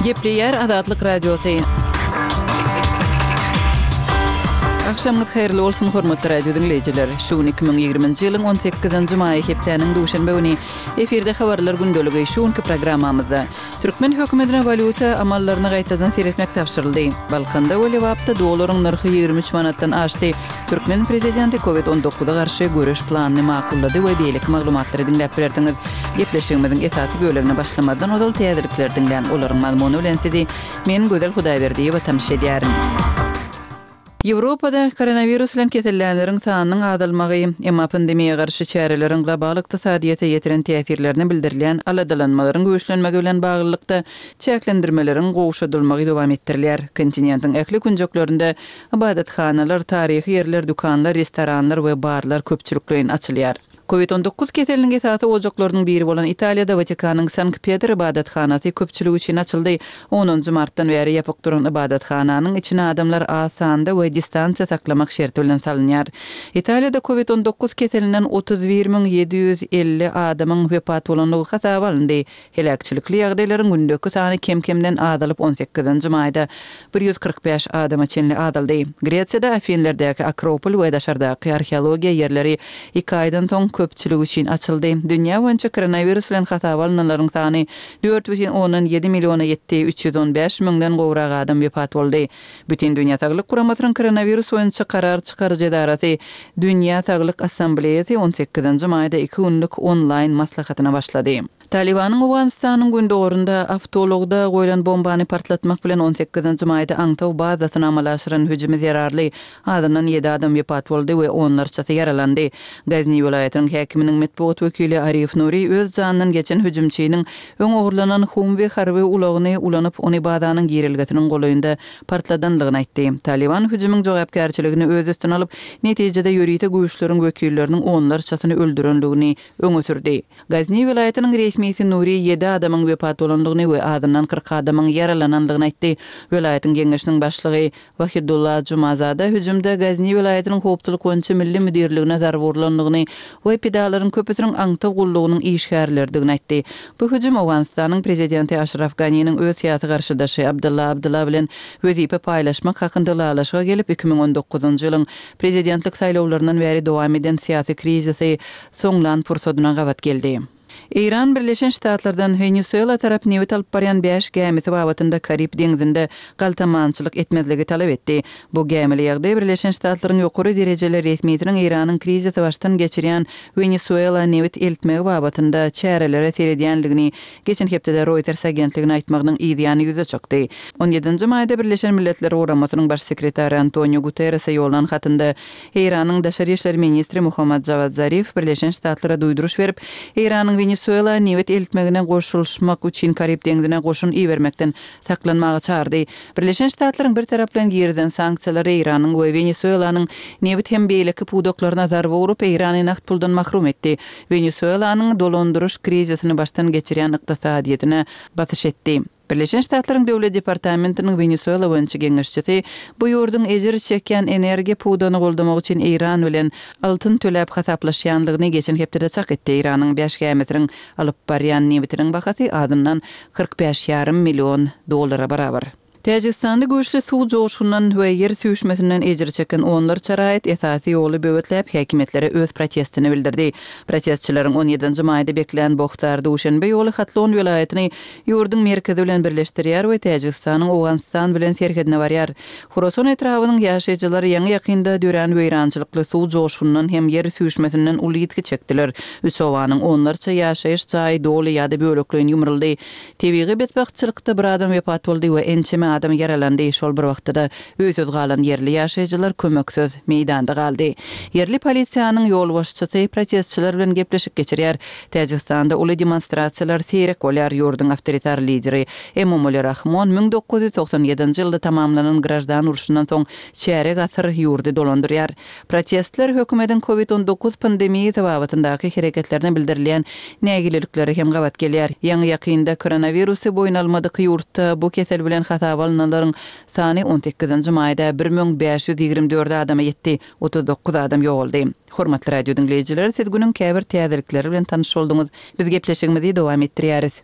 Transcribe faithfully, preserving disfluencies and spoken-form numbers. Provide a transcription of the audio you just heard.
Gepleýär Azatlyk Radiosy. Agşamyňyz haýyrly bolsun, hormatly radio diňleýjiler. Şu gün iki müň ýigriminji ýylyň on sekizinji maýy hepdäniň duşenbe güni. Efirde habarlar gündeligi. Şu günki programmamyzda türkmen hökümetine walýuta amallaryna gaýtadan seretmek tabşyryldy. Balkanda we Lebapda dollaryň nyrhy ýigrimi üç manatdan aşdy. Türkmen prezidenti Covid on dokuza garşy göreş planyny makullady we beýleki maglumatlary diňläp bilersiňiz. Gepleşigimiziň esasy bölegine başlamazdan ozal täzelikleri diňläň. Olaryň mazmuny bilen sizi men Gözel Hudaýberdiýewa tanyş edýärin. Ýewropada koronawirus bilen kesellänleriň sanynyň azalmagy, emma pandemiýa garşy çäreleriň global ykdysadyýete ýetiren täsirlerine bildirilýän aladalanmalaryň güýçlenmegi bilen baglylykda çäklendirmeleriň gowşadylmagy dowam etdirilýär. Kontinentiň ähli künjeklerinde ybadathanalar, taryhy ýerler, dükanlar, restoranlar we barlar köpçülikleýin açylýar. Covid on dokuz keseliniň esasy ojaklarynyň biri bolan Italiýada Watikanyň Sankt Petr ybadathanasy köpçülik üçin açyldy. Onunjy martdan bäri ýapyk duran ybadathananyň içine adamlar az sanda we distansiýa saklamak şerti bilen salynýar. Italiýada Covid on dokuz keselinden otuz bir müň ýedi ýüz elli adamyň wepat bolandygy hasaba alyndy. Heläkçilikli ýagdaýlaryň gündeki sany kem-kemden azalyp on sekizinji maýda bir ýüz kyrk bäş adama çenli azaldy. Gresiýada Afinlerdäki Akropol we daşardaky arheologiýa ýerleri iki aýdan soň köpçülik üçin açyldy. Dünýä boýunça koronawirus bilen hasaba alynanlaryň sany dört bütin ondan ýedi milliona ýetdi, üç ýüz on bäş müňden gowrak adam wepat boldy. Bütün Dünýä Saglyk Guramasynyň koronawirus boýunça karar çykaryjy edarasy Dünýä Saglyk Assambleýasy on sekizinji maýda iki günlük onlaýn maslahatyna başlady. Talibanyň Owganystanyň gündogarynda awtoulagda goýlan bombany partlatmak bilen on sekizinji maýda aňtaw bazasyna amala aşyran hüjümi zerarly azyndan ýedi adam wepat boldy we onlarçasy ýaralandy. Gazni welaýatynyň häkiminiň metbugat wekili Arif Nuri öz janyndan geçen hüjümçiniň öň ogurlanan Humvee harby ulagyny ulanyp, ony bazanyň girilgesiniň golaýynda partladanlygyny aýtdy. Taliban hüjümiň jogapkärçiligini öz üstüne alyp, netijede ýörite güýçleriň wekilleriniň onlarçasyny öldürenligini öňe sürdi. Gazni welaýatynyň resmisi Nuri ýedi adamyň wepat bolandygyny we azyndan kyrk adamyň ýaralanandygyny aýtdy. Welaýatyň geňeşiniň başlygy Wahidullah Jumazada hüjümde Gazni welaýatynyň howpsuzlyk boýunça milli müdirligine zarba urlandygyny we pidalaryň köpüsiniň aňtaw gullugynyň işgärleridigini aýtdy. Bu hüjüm Owganystanyň prezidenti Aşraf Ganiniň öz syýasy garşydaşy Abdullah Abdullah bilen wezipe paýlaşmak hakynda ylalaşyga gelip, iki müň on dokuzynjy ýylyň prezidentlik saýlawlaryndan bäri dowam eden syýasy krizisi soňlan pursadyna gabat geldi. Eýran Birleşen Ştatlardan Wenesuela tarap nebit alyp barýan bäş gämisi babatynda Karib deňzinde galtamançylyk etmezligi talap etdi. Bu gämili ýagdaý Birleşen Ştatlaryň ýokary derejeli resmisiniň Eýranyň krizisi başdan geçirýän Wenesuela nebit eltmegi babatynda çärelere seredýänligini geçen hepdede Reuters agentligine aýtmagynyň yzýany ýüze çykdy. On ýedinji maýda Birleşen Milletler Guramasynyň baş sekretary Antonio Guterrese ýollan hatynda Eýranyň daşary işler ministri Muhammad Javad Zarif Birleşen Ştatlara duýduryş berip, Eýranyň Wenesuela nebit eltmegine goşulyşmak üçin Karib deňzine goşun ibermekden saklanmaga çağırdy. Birleşen Ştatlaryň bir taraplaryň girizen sanksiýalary Eýranyň we Wenesuelanyň nebit hem beýleki pudaklaryna zarba urup, Eýrany nagt puldan mahrum etdi. Wenesuelanyň dolandyryş krizisini başdan geçirýän ykdysadyýetine basyş etdi. Birleşen Ştatlaryň Döwlet Departamentiniň Wenesuela boýunça geňeşçisi bu ýurduň ejir çekýän energiýa pudagyny goldamak üçin Eýran bilen altyn töläp hasaplaşýanlygyny geçen hepdede çak etdi. Eýranyň bäş gämisiniň alyp barýan nebitiniň bahasy azyndan kyrk bäş ýarym million dollara barabar. Täjigistanda güýçli suw joşgundan we ýer süýşmesinden ejir çeken onlarça raýat esasy ýoly böwetläp häkimiýetlere öz protestini bildirdi. Protestçileriň on ýedinji maýda beklän Bohtar Duşenbe ýoly Hatlon welaýatyny ýurduň merkezi bilen birleşdirýär we Täjigistanyň Owganystan bilen serhedine barýar. Horasan etrabynyň ýaşaýjylary ýaňy ýakynda dörän weýrançylykly suw joşgundan hem ýer süýşmesinden uly ýitgi çekdiler. Üç obanyň onlarça ýaşaýyş jaýy doly ýa-da bölekleýin ýumruldy. Tebigy betbagtçylykda bir adam wepat boldy we ençeme adam ýaralandy. Şol bir wagtda öýsüz galan ýerli ýaşaýjylar kömeksiz meýdanda galdy. Ýerli polisiýanyň ýolbaşçysy protestçiler bilen gepleşik geçirýär. Täjigistanda uly demonstrasiýalar seýrek bolýar. Ýurduň awtoritar lideri Emomali Rahmon müň dokuz ýüz togsan ýedinji ýylda tamamlanan grajdan urşundan soň çärek asyr ýurdy dolandyrýar. Protestler hökümetiň Covid on dokuz pandemiýasy babatyndaky hereketlerine bildirilýän nägilelikleri hem gabat gelýär. Ýaňy ýakynda koronawirusy boýun almadyk ýurtda bu kesel bilen hasaba alynanlaryň sany on sekizinji maýda bir müň bäş ýüz ýigrimi dört adama ýetdi, otuz dokuz adam ýogaldy. Hormatly radio diňleýjiler, siz günüň käbir täzelikleri bilen tanyş bolduňyz. Biz gepleşigimizi dowam etdirýäris.